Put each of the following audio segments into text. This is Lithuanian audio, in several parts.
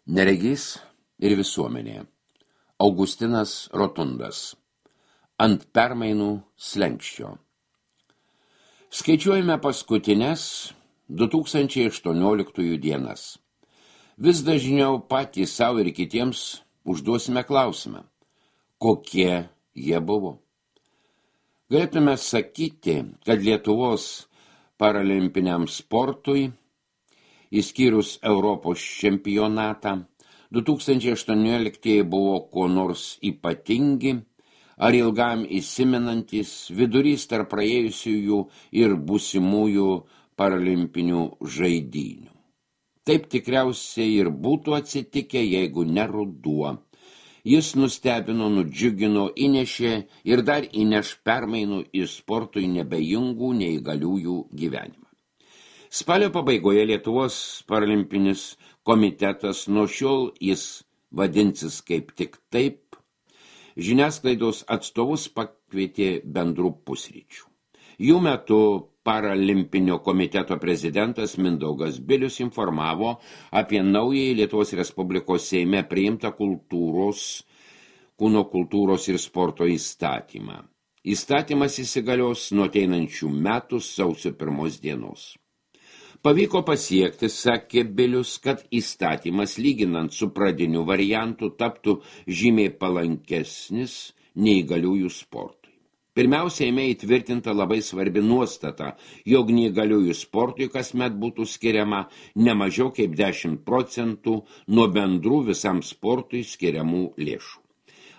Neregys ir visuomenė. Augustinas Rotundas. Ant permainų slenkščio. Skaičiuojame paskutines 2018 dienas. Vis dažniau patys savo ir kitiems užduosime klausimą, kokie jie buvo. Galėtume sakyti, kad Lietuvos paralimpiniam sportui, išskyrus Europos čempionatą, 2018 buvo kuo nors ypatingi ar ilgam įsimenantis vidurys tarp praėjusiųjų ir būsimųjų paralimpinių žaidynių. Taip tikriausiai ir būtų atsitikę, jeigu ne ruduo. Jis nustebino, nudžiugino, įnešė ir dar įneš permainų į sportui nebejingų neįgaliųjų gyvenimą. Spalio pabaigoje Lietuvos paralimpinis komitetas, nuo šiol jis vadinsis kaip tik taip, žiniasklaidos atstovus pakvietė bendrų pusryčių. Jų metu paralimpinio komiteto prezidentas Mindaugas Bilius informavo apie naująjį Lietuvos Respublikos Seime priimtą kūno kultūros ir sporto įstatymą. Įstatymas įsigalios nuo ateinančių metų sausio 1 dienos. Pavyko pasiekti, sakė Bilius, kad įstatymas lyginant su pradiniu variantu taptų žymiai palankesnis neįgaliųjų sportui. Pirmiausia, Seime įtvirtinta labai svarbi nuostata, jog neįgaliųjų sportui kasmet būtų skiriama ne mažiau kaip 10% nuo bendrų visam sportui skiriamų lėšų.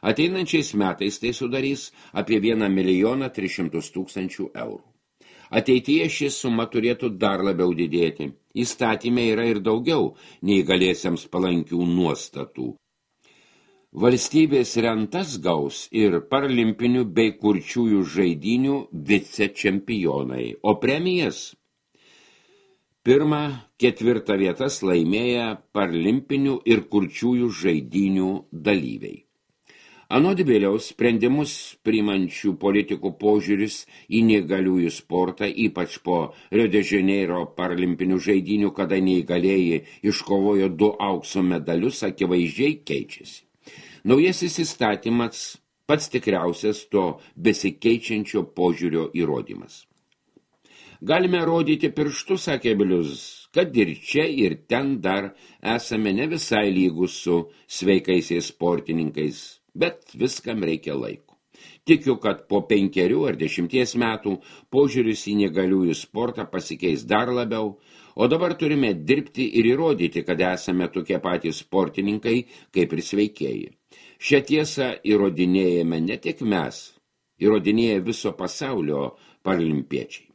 Ateinančiais metais tai sudarys apie 1 300 000 eurų. Ateityje ši suma turėtų dar labiau didėti. Įstatyme yra ir daugiau neįgaliesiems palankių nuostatų. Valstybės rentas gaus ir paralimpinių bei kurčiųjų žaidynių vicečempionai, o premijas 1-4 vietas laimėję paralimpinių ir kurčiųjų žaidynių dalyviai. Anot Biliaus, sprendimus priimančių politikų požiūris į neįgaliųjų sportą, ypač po Rio de Janeiro paralimpinių žaidynių, kada neįgalieji iškovojo 2 aukso medalius, akivaizdžiai keičiasi. Naujasis įstatymas pats tikriausias to besikeičiančio požiūrio įrodymas. Galime rodyti pirštu, sakė Bilius, kad ir čia ir ten dar esame ne visai lygus su sveikaisiais sportininkais, bet viskam reikia laiko. Tikiu, kad po 5 ar 10 metų požiūris į neįgaliųjų sportą pasikeis dar labiau, o dabar turime dirbti ir įrodyti, kad esame tokie patys sportininkai kaip ir sveikieji. Šią tiesą įrodinėjame ne tik mes, įrodinėja viso pasaulio paralimpiečiai.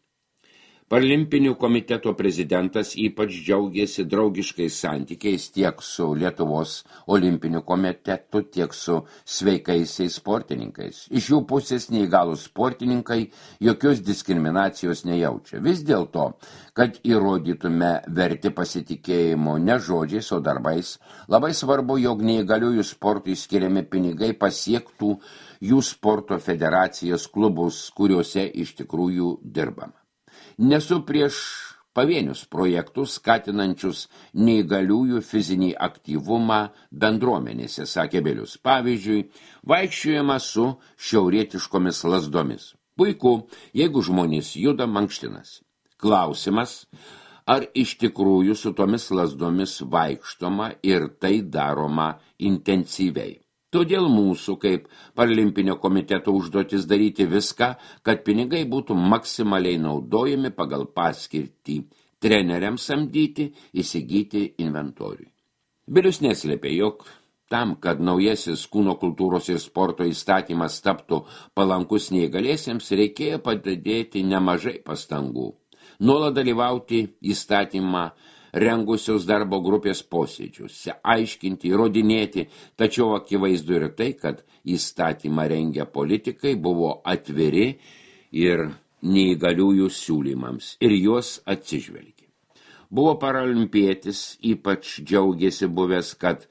Paralimpinių komiteto prezidentas ypač džiaugėsi draugiškais santykiais tiek su Lietuvos olimpiniu komitetu, tiek su sveikaisiais sportininkais. Iš jų pusės neįgalūs sportininkai jokios diskriminacijos nejaučia. Vis dėlto, kad įrodytume verti pasitikėjimo ne žodžiais, o darbais, labai svarbu, jog neįgaliųjų sportui skiriami pinigai pasiektų jų sporto federacijas, klubus, kuriuose iš tikrųjų dirbama. Nesu prieš pavienius projektus, skatinančius neįgaliųjų fizinį aktyvumą bendruomenėse, sakė Bilius. Pavyzdžiui, vaikščiojama su šiaurietiškomis lazdomis. Puiku, jeigu žmonės juda, mankštinas. Klausimas, ar iš tikrųjų su tomis lazdomis vaikštoma ir tai daroma intensyviai. Todėl mūsų, kaip paralimpinio komiteto užduotis daryti viską, kad pinigai būtų maksimaliai naudojami pagal paskirtį treneriams samdyti, įsigyti inventoriui. Bilius neslėpė, jog tam, kad naujasis kūno kultūros ir sporto įstatymas taptų palankus neįgaliesiems, reikėjo padėti nemažai pastangų. Nuolat dalyvauti įstatymą rengusios darbo grupės posėdžiuose, aiškinti, įrodinėti, tačiau akivaizdu ir tai, kad įstatymą rengę politikai buvo atviri ir neįgaliųjų siūlymams ir juos atsižvelgė. Buvo paralimpietis, ypač džiaugėsi buvęs, kad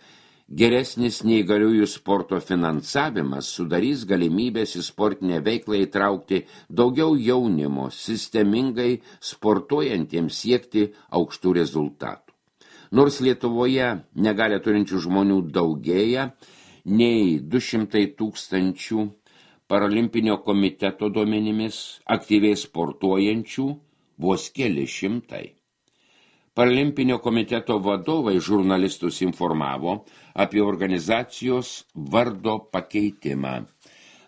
geresnis neįgaliųjų sporto finansavimas sudarys galimybės į sportinę veiklą įtraukti daugiau jaunimo, sistemingai sportuojantiems siekti aukštų rezultatų. Nors Lietuvoje negalę turinčių žmonių daugėja, nei 200 tūkstančių Paralimpinio komiteto duomenimis aktyviai sportuojančių vos keli šimtai. Paralimpinio komiteto vadovai žurnalistus informavo apie organizacijos vardo pakeitimą.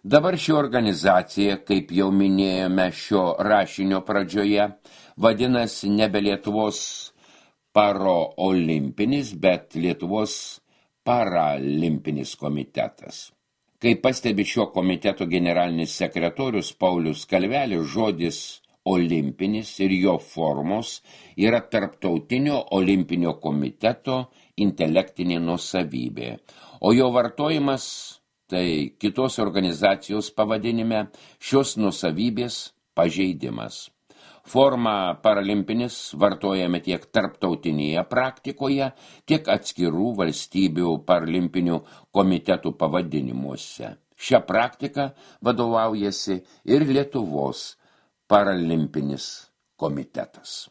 Dabar ši organizacija, kaip jau minėjome šio rašinio pradžioje, vadinasi nebe Lietuvos paraolimpinis, bet Lietuvos paralimpinis komitetas. Kaip pastebi šio komiteto generalinis sekretorius Paulius Kalvelis, žodis olimpinis ir jo formos yra Tarptautinio olimpinio komiteto intelektinė nuosavybė, o jo vartojimas tai kitos organizacijos pavadinime šios nuosavybės pažeidimas. Forma paralimpinis vartojame tiek tarptautinėje praktikoje, tiek atskirų valstybių paralimpinių komitetų pavadinimuose. Šią praktiką vadovaujasi ir Lietuvos paralimpinis komitetas.